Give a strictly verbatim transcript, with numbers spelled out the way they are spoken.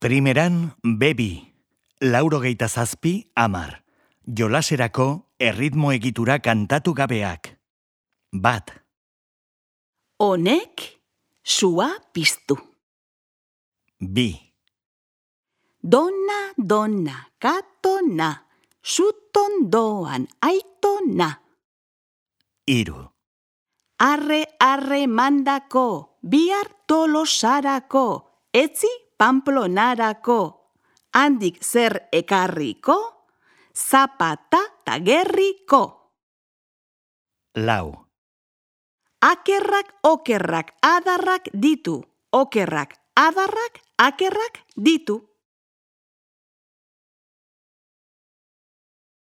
Primeran, bebi, laurogeita zazpi, amar. Jolaserako erritmo egitura kantatu gabeak. Bat. Honek sua piztu. Bi. Dona, dona, katona, sutondoan aitona. Hiru. Arre, arre mandako, bihar tolosarako, etzi Pamplonarako, handik zer ekarriko, zapata tagerriko. Lau. Akerrak, okerrak, adarrak ditu, okerrak, adarrak, akerrak ditu.